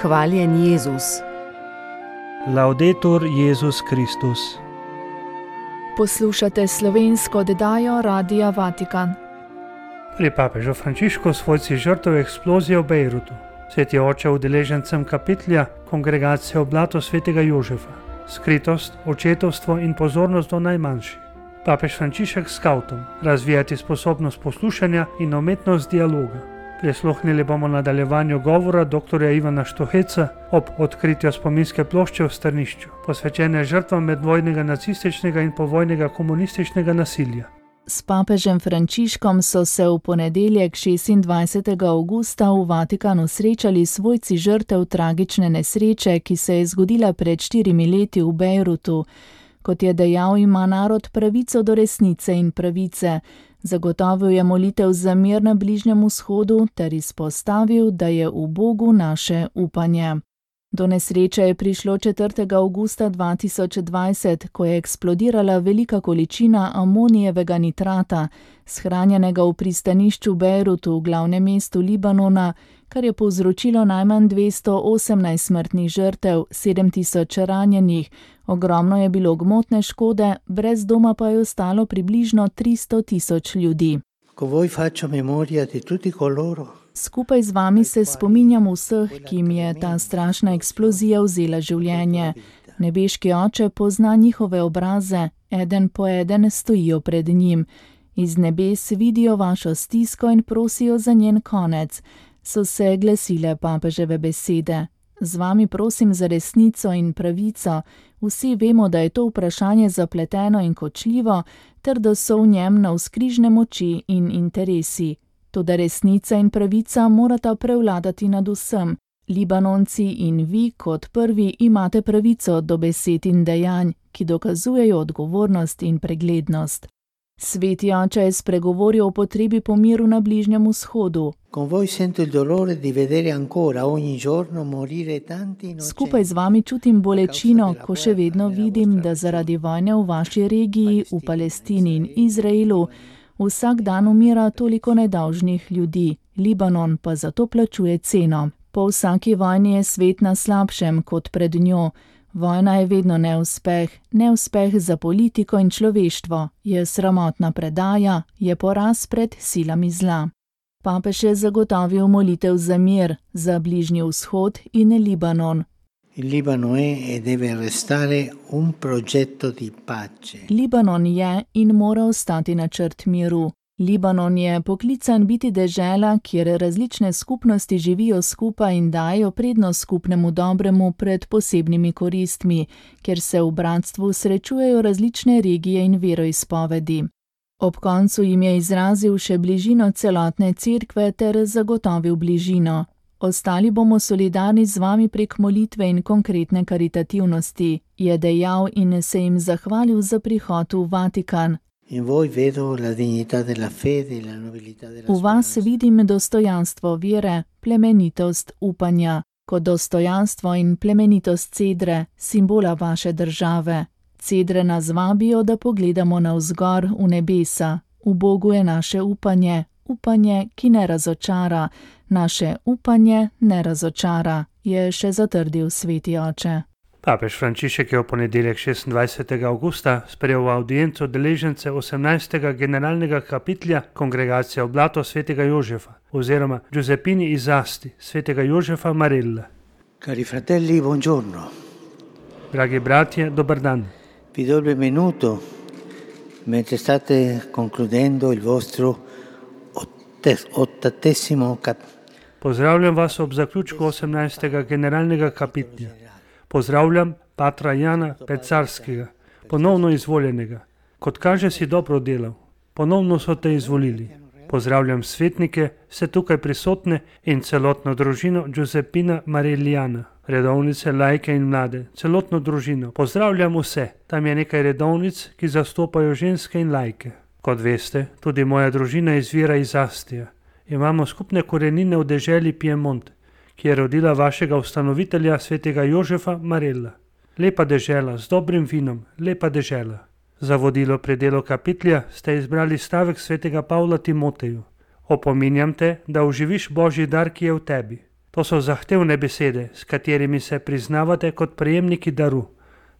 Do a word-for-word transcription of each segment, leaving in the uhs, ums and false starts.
Hvaljen Jezus. Laudetur Jezus Kristus. Poslušate slovensko oddajo Radia Vatikan. Pri papežu Frančišku svojci žrtev eksplozije v Bejrutu. Sveti oče udeležencem kapitlja Kongregacije oblato svetega Jožefa. Skritost, očetovstvo in pozornost do najmanjših. Papež Frančišek s skavtom. Razvijati sposobnost poslušanja in umetnost dialoga. Prisluhnili bomo nadaljevanju govora doktorja Ivana Štuheca ob odkritju spominske plošče v Strnišču, posvečene žrtvam medvojnega nacističnega in povojnega komunističnega nasilja. S papežem Frančiškom so se v ponedeljek šestindvajsetega avgusta v Vatikanu srečali svojci žrtev tragične nesreče, ki se je zgodila pred štirimi leti v Bejrutu. Kot je dejal, ima narod pravico do resnice in pravice. Zagotovil je molitev za mir na Bližnjem vzhodu ter izpostavil, da je v Bogu naše upanje. Do nesreče je prišlo četrtega avgusta dva tisoč dvajset, ko je eksplodirala velika količina amonijevega nitrata, shranjenega v pristanišču Bejrutu v glavnem mestu Libanona, kar je povzročilo najmanj dvesto osemnajst smrtnih žrtev, sedem tisoč ranjenih, ogromno je bilo gmotne škode, brez doma pa je ostalo približno tristo tisoč ljudi. Skupaj z vami se spominjam vseh, ki jim je ta strašna eksplozija vzela življenje. Nebeški oče pozna njihove obraze, eden po eden stojijo pred njim. Iz nebes vidijo vašo stisko in prosijo za njen konec, so se glasile papeževe besede. Z vami prosim za resnico in pravico. Vsi vemo, da je to vprašanje zapleteno in kočljivo, ter da so v njem navzkrižne moči in interesi. Toda resnica in pravica morata prevladati nad vsem. Libanonci in vi kot prvi imate pravico do besed in dejanj, ki dokazujejo odgovornost in preglednost. Sveti oče je spregovoril o potrebi po miru na Bližnjem vzhodu. Skupaj z vami čutim bolečino, ko še vedno vidim, da zaradi vojne v vaši regiji, v Palestini in Izraelu, vsak dan umira toliko nedolžnih ljudi, Libanon pa zato plačuje ceno. Po vsaki vojni je svet na slabšem kot pred njo. Vojna je vedno neuspeh, neuspeh za politiko in človeštvo, je sramotna predaja, je poraz pred silami zla. Papež je zagotovil molitev za mir, za Bližnji vzhod in Libanon. Libanon je in mora ostati načrt miru. Libanon je poklican biti dežela, kjer različne skupnosti živijo skupaj in dajo prednost skupnemu dobremu pred posebnimi koristmi, kjer se v bratstvu srečujejo različne regije in veroizpovedi. Ob koncu jim je izrazil še bližino celotne cerkve ter zagotovil bližino. Ostali bomo solidarni z vami prek molitve in konkretne karitativnosti, je dejal in se jim zahvalil za prihod v Vatikan. V vas vidim dostojanstvo vere, plemenitost upanja, kot dostojanstvo in plemenitost cedre, simbola vaše države. Cedre nas vabijo, da pogledamo navzgor v nebesa. V Bogu je naše upanje, upanje, ki ne razočara. Naše upanje ne razočara, je še zatrdil sveti oče. Papež Frančišek je v ponedeljek šestindvajsetega avgusta sprejel v audienco udeležence osemnajstega generalnega kapitlja Kongregacije oblato svetega Jožefa oziroma Giuseppini iz Asti svetega Jožefa Marella. Cari fratelli, buongiorno. Dragi bratje, dober dan. Vi do il benvenuto mentre state concludendo il vostro ottatesimo cap. Pozdravljam vas ob zaključku osemnajstega generalnega kapitlja. Pozdravljam patra Jana Pecarskega, ponovno izvoljenega. Kot kaže, si dobro delal. Ponovno so te izvolili. Pozdravljam svetnike, vse tukaj prisotne in celotno družino Giuseppina Marellijana, redovnice, laike in mlade, celotno družino. Pozdravljam vse. Tam je nekaj redovnic, ki zastopajo ženske in laike. Kot veste, tudi moja družina izvira iz Astija. Imamo skupne korenine v deželi Piemont, ki je rodila vašega ustanovitelja svetega Jožefa Marella. Lepa dežela, z dobrim vinom, lepa dežela. Za vodilo pri delu kapitlja ste izbrali stavek svetega Pavla Timoteju. Opominjam te, da oživiš Božji dar, ki je v tebi. To so zahtevne besede, s katerimi se priznavate kot prejemniki daru,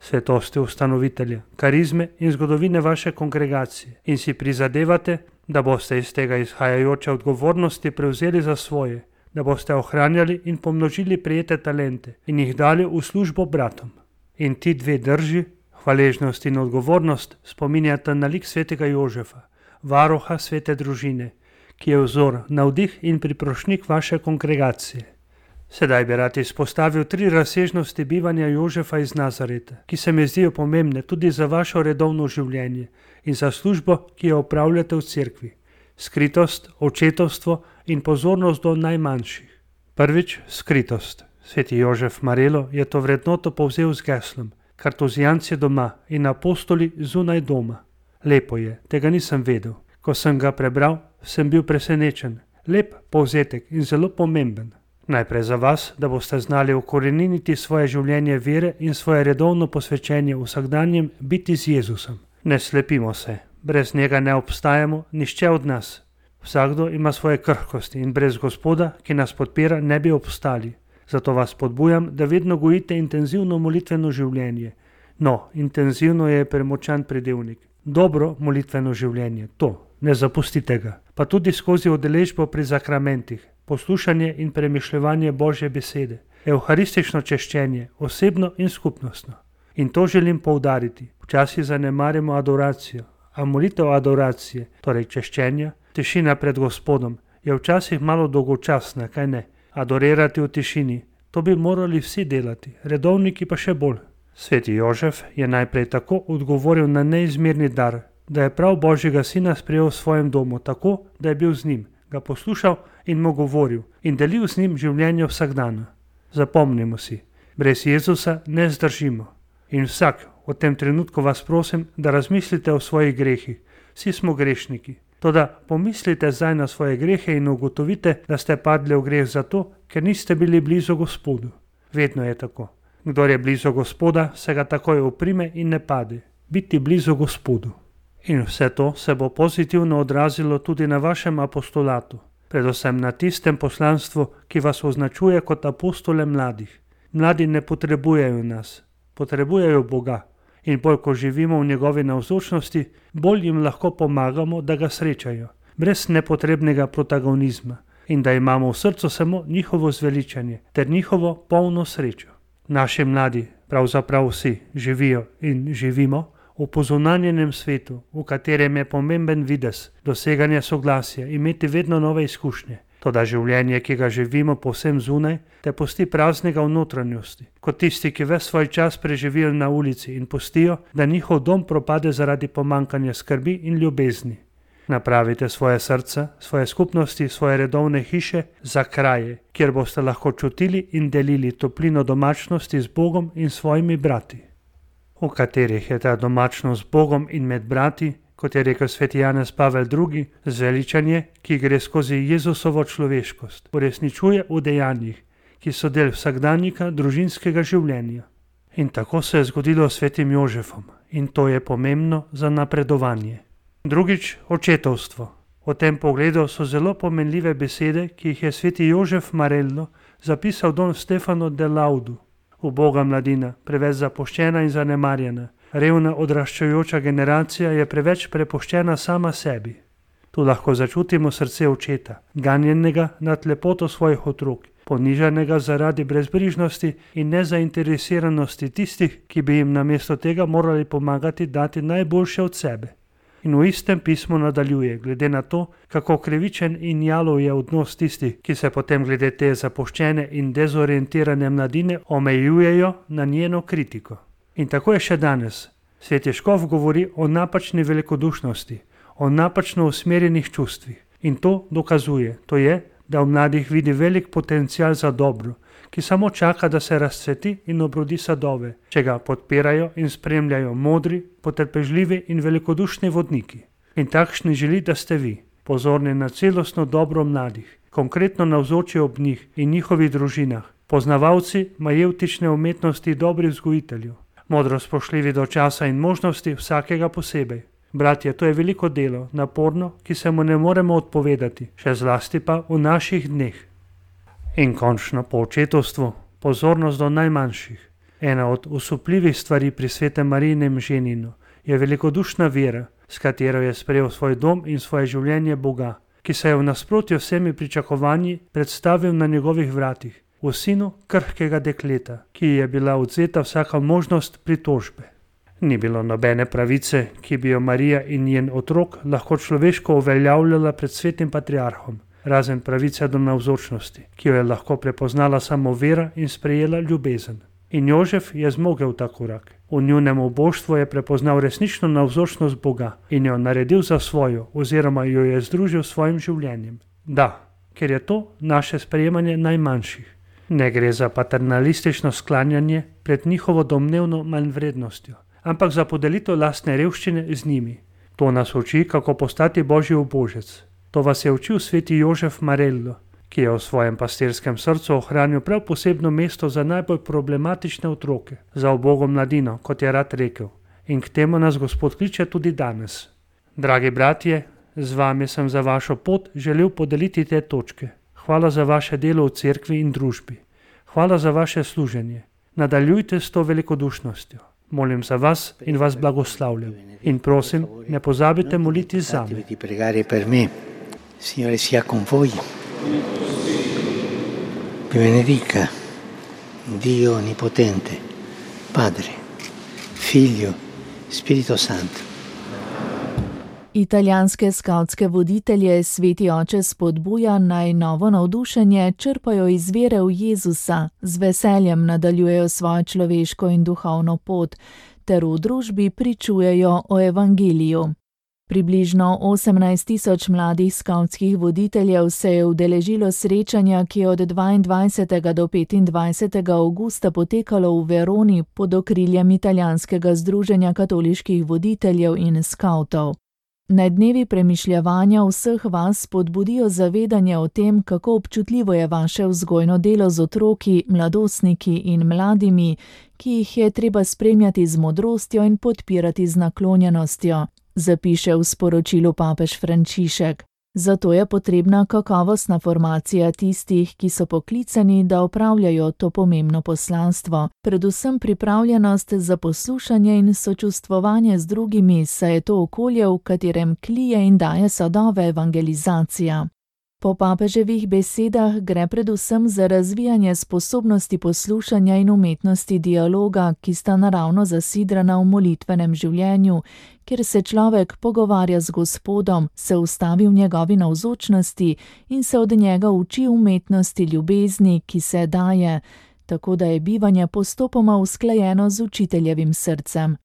svetosti ustanovitelja, karizme in zgodovine vaše kongregacije in si prizadevate, da boste iz tega izhajajoče odgovornosti prevzeli za svoje, da boste ohranjali in pomnožili prijete talente in jih dali v službo bratom. In ti dve drži, hvaležnost in odgovornost, spominjata na lik svetega Jožefa, varuha svete družine, ki je vzor, navdih in priprošnjik vaše kongregacije. Sedaj bi rad izpostavil tri razsežnosti bivanja Jožefa iz Nazareta, ki se mi zdijo pomembne tudi za vašo redovno življenje in za službo, ki jo opravljate v cerkvi. Skritost, očetovstvo in pozornost do najmanjših. Prvič, skritost. Sveti Jožef Marelo je to vrednoto povzel z geslom: kartuzijanci doma in apostoli zunaj doma. Lepo je, tega nisem vedel. Ko sem ga prebral, sem bil presenečen. Lep povzetek in zelo pomemben. Najprej za vas, da boste znali ukoreniniti svoje življenje vere in svoje redovno posvečenje vsakdanjem biti z Jezusom. Ne slepimo se, brez njega ne obstajamo, nihče od nas. Vsakdo ima svoje krhkosti in brez Gospoda, ki nas podpira, ne bi obstali. Zato vas podbujam, da vedno gojite intenzivno molitveno življenje. No, intenzivno je premočan pridevnik. Dobro molitveno življenje, to, ne zapustite ga. Pa tudi skozi udeležbo pri zakramentih, poslušanje in premišljevanje Božje besede, evharistično češčenje, osebno in skupnostno. In to želim poudariti. Včasih zanemarimo adoracijo, a molitev adoracije, torej češčenja, tišina pred Gospodom, je včasih malo dolgočasna, kaj ne? Adorirati v tišini, to bi morali vsi delati, redovniki pa še bolj. Sveti Jožef je najprej tako odgovoril na neizmerni dar, da je prav Božjega sina sprejel v svojem domu tako, da je bil z njim, ga poslušal in mu govoril in delil z njim življenje vsak dan. Zapomnimo si, brez Jezusa ne zdržimo. In vsak, v tem trenutku vas prosim, da razmislite o svojih grehih. Vsi smo grešniki. Toda pomislite zdaj na svoje grehe in ugotovite, da ste padli v greh zato, ker niste bili blizu Gospodu. Vedno je tako. Kdor je blizu Gospoda, se ga takoj oprime in ne pade. Biti blizu Gospodu. In vse to se bo pozitivno odrazilo tudi na vašem apostolatu, predvsem na tistem poslanstvu, ki vas označuje kot apostole mladih. Mladi ne potrebujejo nas, potrebujejo Boga. In bolj, ko živimo v njegovi navzočnosti, bolj jim lahko pomagamo, da ga srečajo, brez nepotrebnega protagonizma in da imamo v srcu samo njihovo zveličanje ter njihovo polno srečo. Naši mladi, pravzaprav vsi, živijo in živimo v pozunanjenem svetu, v katerem je pomemben videz, doseganje soglasja, imeti vedno nove izkušnje. Toda življenje, ki ga živimo povsem zunaj, te pusti praznega v notranjosti, kot tisti, ki ves svoj čas preživijo na ulici in pustijo, da njihov dom propade zaradi pomankanja skrbi in ljubezni. Napravite svoje srca, svoje skupnosti, svoje redovne hiše za kraje, kjer boste lahko čutili in delili toplino domačnosti z Bogom in svojimi brati. V katerih je ta domačnost z Bogom in med brati, kot je rekel sveti Janez Pavel drugi, zveličanje, ki gre skozi Jezusovo človeškost, uresničuje v dejanjih, ki so del vsakdanjika družinskega življenja. In tako se je zgodilo s svetim Jožefom in to je pomembno za napredovanje. Drugič, očetovstvo. V tem pogledu so zelo pomenljive besede, ki jih je sveti Jožef Marello zapisal don Stefano de Laudu. Uboga mladina, preveč zapuščena in zanemarjena, revna odraščajoča generacija je preveč prepuščena sama sebi. Tu lahko začutimo srce očeta, ganjenega nad lepoto svojih otrok, ponižanega zaradi brezbrižnosti in nezainteresiranosti tistih, ki bi jim namesto tega morali pomagati dati najboljše od sebe. In v istem pismu nadaljuje, glede na to, kako krivičen in jalov je odnos tistih, ki se potem glede te zapuščene in dezorientirane mladine omejujejo na njeno kritiko. In tako je še danes. Sveti Škof govori o napačni velikodušnosti, o napačno usmerjenih čustvih. In to dokazuje, to je, da v mladih vidi velik potencial za dobro, ki samo čaka, da se razcveti in obrodi sadove, če ga podpirajo in spremljajo modri, potrpežljivi in velikodušni vodniki. In takšni želi, da ste vi, pozorni na celostno dobro mladih, konkretno navzoči ob njih in njihovih družinah, poznavalci majevtične umetnosti dobrih vzgojiteljev, modro spoštljivi do časa in možnosti vsakega posebej. Bratje, to je veliko delo, naporno, ki se mu ne moremo odpovedati, še zlasti pa v naših dneh. In končno po očetovstvu pozornost do najmanjših. Ena od osupljivih stvari pri svetem Marijinem ženinu je velikodušna vera, s katero je sprejel svoj dom in svoje življenje Boga, ki se je v nasprotju vsemi pričakovanji predstavil na njegovih vratih, v sinu krhkega dekleta, ki ji je bila odzeta vsaka možnost pritožbe. Ni bilo nobene pravice, ki bi jo Marija in njen otrok lahko človeško uveljavljala pred svetim patriarhom, razen pravice do navzočnosti, ki jo je lahko prepoznala samo vera in sprejela ljubezen. In Jožef je zmogel ta korak. V njunem oboštvu je prepoznal resnično navzočnost Boga in jo naredil za svojo oziroma jo je združil s svojim življenjem. Da, ker je to naše sprejemanje najmanjših. Ne gre za paternalistično sklanjanje pred njihovo domnevno manjvrednostjo, ampak za podelitev lastne revščine z njimi. To nas uči, kako postati Božji ubožec. To vas je učil sveti Jožef Marello, ki je v svojem pastirskem srcu ohranil prav posebno mesto za najbolj problematične otroke, za ubogom mladino, kot je rad rekel. In k temu nas Gospod kliče tudi danes. Dragi bratje, z vami sem za vašo pot želel podeliti te točke. Hvala za vaše delo v cerkvi in družbi. Hvala za vaše služenje. Nadaljujte s to velikodušnostjo. Molim za vas in vas blagoslavljam. In prosim, ne pozabite moliti zame. Signore sia con voi. Vi benedica Dio Onnipotente, Padre, Figlio, Spirito Santo. Italijanske skavtske voditelje sveti oče spodbuja, naj novo navdušenje črpajo iz vere v Jezusa, z veseljem nadaljujejo svojo človeško in duhovno pot, ter v družbi pričujejo o evangeliju. Približno osemnajst tisoč mladih skavtskih voditeljev se je udeležilo srečanja, ki je od dvaindvajsetega do petindvajsetega avgusta potekalo v Veroni pod okriljem italijanskega združenja katoliških voditeljev in skavtov. Naj dnevi premišljevanja vseh vas spodbudijo zavedanje o tem, kako občutljivo je vaše vzgojno delo z otroki, mladostniki in mladimi, ki jih je treba spremljati z modrostjo in podpirati z naklonjenostjo, zapiše v sporočilu papež Frančišek. Zato je potrebna kakovostna formacija tistih, ki so poklicani, da opravljajo to pomembno poslanstvo, predvsem pripravljenost za poslušanje in sočustvovanje z drugimi, saj je to okolje, v katerem klije in daje sadove evangelizacija. Po papeževih besedah gre predvsem za razvijanje sposobnosti poslušanja in umetnosti dialoga, ki sta naravno zasidrana v molitvenem življenju, kjer se človek pogovarja z Gospodom, se ustavi v njegovi navzočnosti in se od njega uči umetnosti ljubezni, ki se daje, tako da je bivanje postopoma usklajeno z učiteljevim srcem.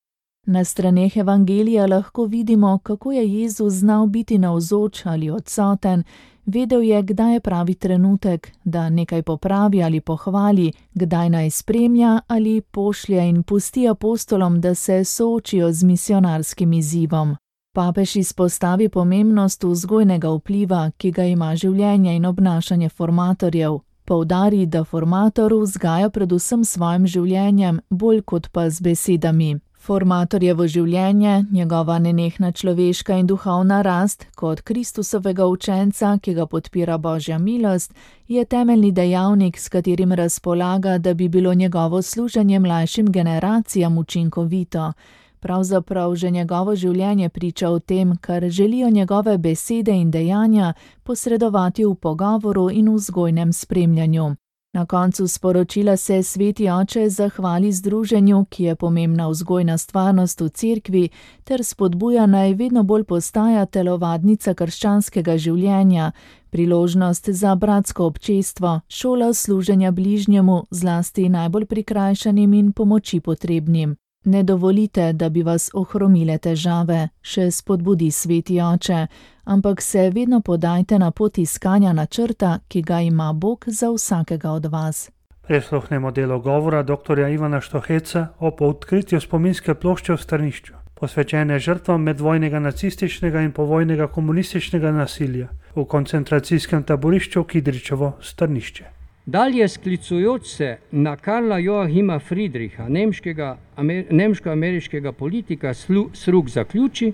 Na straneh evangelija lahko vidimo, kako je Jezus znal biti navzoč ali odsoten, vedel je, kdaj je pravi trenutek, da nekaj popravi ali pohvali, kdaj naj spremlja ali pošlje in pusti apostolom, da se soočijo z misionarskim izzivom. Papež izpostavi pomembnost vzgojnega vpliva, ki ga ima življenje in obnašanje formatorjev. Poudari, da formator vzgaja predvsem svojim življenjem, bolj kot pa z besedami. Formatorjevo življenje, njegova nenehna človeška in duhovna rast, kot Kristusovega učenca, ki ga podpira Božja milost, je temeljni dejavnik, s katerim razpolaga, da bi bilo njegovo služenje mlajšim generacijam učinkovito. Pravzaprav že njegovo življenje priča o tem, kar želijo njegove besede in dejanja posredovati v pogovoru in vzgojnem spremljanju. Na koncu sporočila se sveti oče zahvali združenju, ki je pomembna vzgojna stvarnost v cerkvi, ter spodbuja naj vedno bolj postaja telovadnica krščanskega življenja, priložnost za bratsko občestvo, šola služenja bližnjemu, zlasti najbolj prikrajšanim in pomoči potrebnim. Ne dovolite, da bi vas ohromile težave, še spodbudi sveti oče, ampak se vedno podajte na pot iskanja načrta, ki ga ima Bog za vsakega od vas. Prisluhnemo delo govora doktorja Ivana Štoheca o odkritju spominske plošče v Strnišču, posvečene žrtvam medvojnega nacističnega in povojnega komunističnega nasilja v koncentracijskem taborišču Kidričevo Strnišče. Dalje sklicujoč se na Karla Joachima Friedricha, nemškega, amer, nemško-ameriškega politika, Sruk zaključi,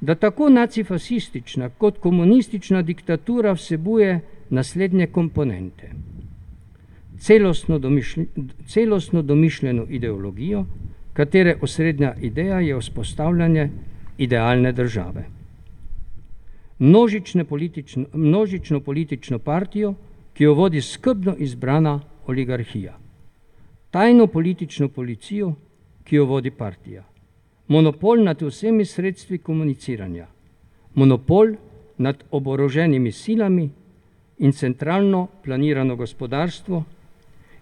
da tako nacifasistična kot komunistična diktatura vsebuje naslednje komponente. celostno, domišlj, celostno domišljeno ideologijo, katere osrednja ideja je vzpostavljanje idealne države. Množično, množično politično partijo, ki jo vodi skrbno izbrana oligarhija. Tajno politično policijo, ki jo vodi partija. Monopol nad vsemi sredstvi komuniciranja. Monopol nad oboroženimi silami in centralno planirano gospodarstvo.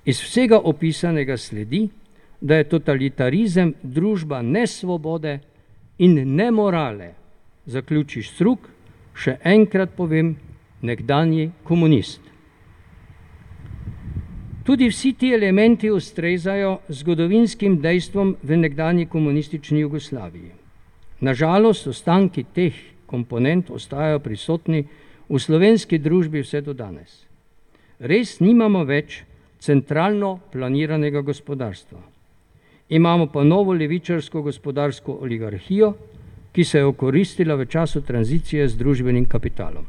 Iz vsega opisanega sledi, da je totalitarizem družba nesvobode in nemorale, zaključi Strug, še enkrat povem, nekdanji komunist. Tudi vsi ti elementi ustrezajo zgodovinskim dejstvom v nekdanji komunistični Jugoslaviji. Nažalost, ostanki teh komponent ostajajo prisotni v slovenski družbi vse do danes. Res nimamo več centralno planiranega gospodarstva. Imamo pa novo levičarsko gospodarsko oligarhijo, ki se je okoristila v času tranzicije z družbenim kapitalom.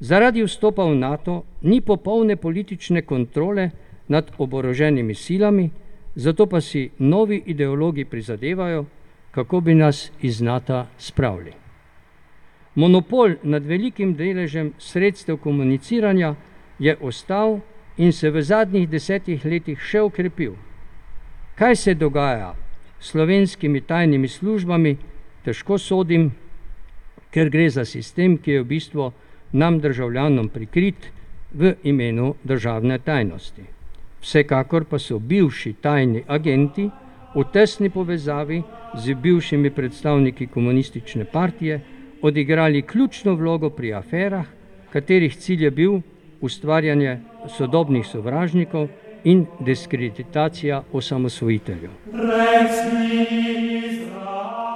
Zaradi vstopa v NATO ni popolne politične kontrole nad oboroženimi silami, zato pa si novi ideologi prizadevajo, kako bi nas iz NATO spravili. Monopol nad velikim deležem sredstev komuniciranja je ostal in se v zadnjih desetih letih še okrepil. Kaj se dogaja s slovenskimi tajnimi službami, težko sodim, ker gre za sistem, ki je v bistvu nam državljanom prikrit v imenu državne tajnosti. Vsekakor pa so bivši tajni agenti v tesni povezavi z bivšimi predstavniki komunistične partije odigrali ključno vlogo pri aferah, katerih cilj je bil ustvarjanje sodobnih sovražnikov in diskreditacija osamosvojiteljev.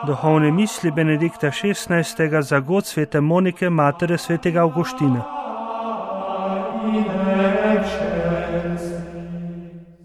Duhovne misli Benedikta šestnajstega za god svete Monike, matere svetega Avguština.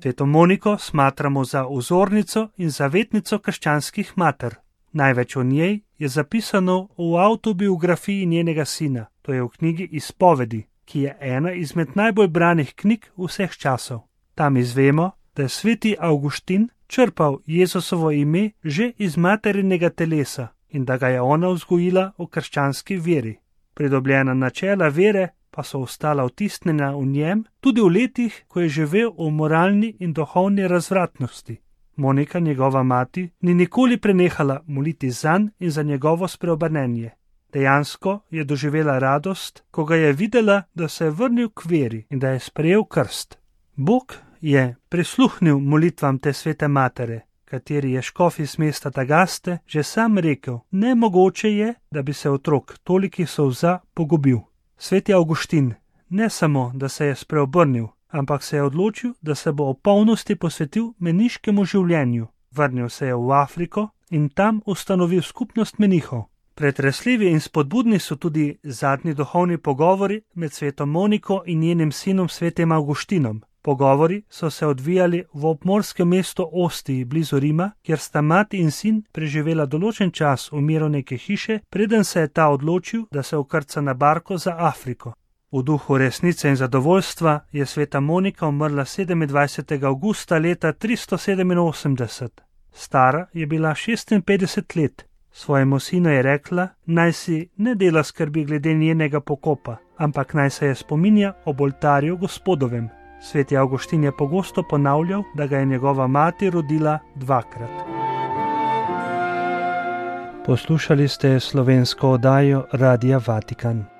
Sveto Moniko smatramo za vzornico in zavetnico krščanskih mater. Največ o njej je zapisano v avtobiografiji njenega sina, to je v knjigi Izpovedi, ki je ena izmed najbolj branih knjig vseh časov. Tam izvemo, da je sveti Avguštin črpal Jezusovo ime že iz materinega telesa in da ga je ona vzgojila v krščanski veri. Pridobljena načela vere pa so ostala vtisnjena v njem tudi v letih, ko je živel v moralni in duhovni razvratnosti. Monika, njegova mati, ni nikoli prenehala moliti zanj in za njegovo spreobrnenje. Dejansko je doživela radost, ko ga je videla, da se je vrnil k veri in da je sprejel krst. Bog je prisluhnil molitvam te svete matere, kateri je škof iz mesta Tagaste že sam rekel, nemogoče je, da bi se otrok tolikih solza pogubil. Sveti Avguštin ne samo, da se je spreobrnil, ampak se je odločil, da se bo v polnosti posvetil meniškemu življenju. Vrnil se je v Afriko in tam ustanovil skupnost menihov. Pretresljivi in spodbudni so tudi zadnji duhovni pogovori med sveto Moniko in njenim sinom svetim Avguštinom. Pogovori so se odvijali v obmorskem mestu Ostiji blizu Rima, kjer sta mati in sin preživela določen čas v miru neke hiše, preden se je ta odločil, da se vkrca na barko za Afriko. V duhu resnice in zadovoljstva je sveta Monika umrla sedemindvajsetega avgusta leta tristo sedeminosemdeset. Stara je bila šestinpetdeset let. Svojemu sinu je rekla, naj si ne dela skrbi glede njenega pokopa, ampak naj se je spominja ob oltarju Gospodovem. Sveti Avguštin je pogosto ponavljal, da ga je njegova mati rodila dvakrat. Poslušali ste slovensko oddajo Radia Vatikan.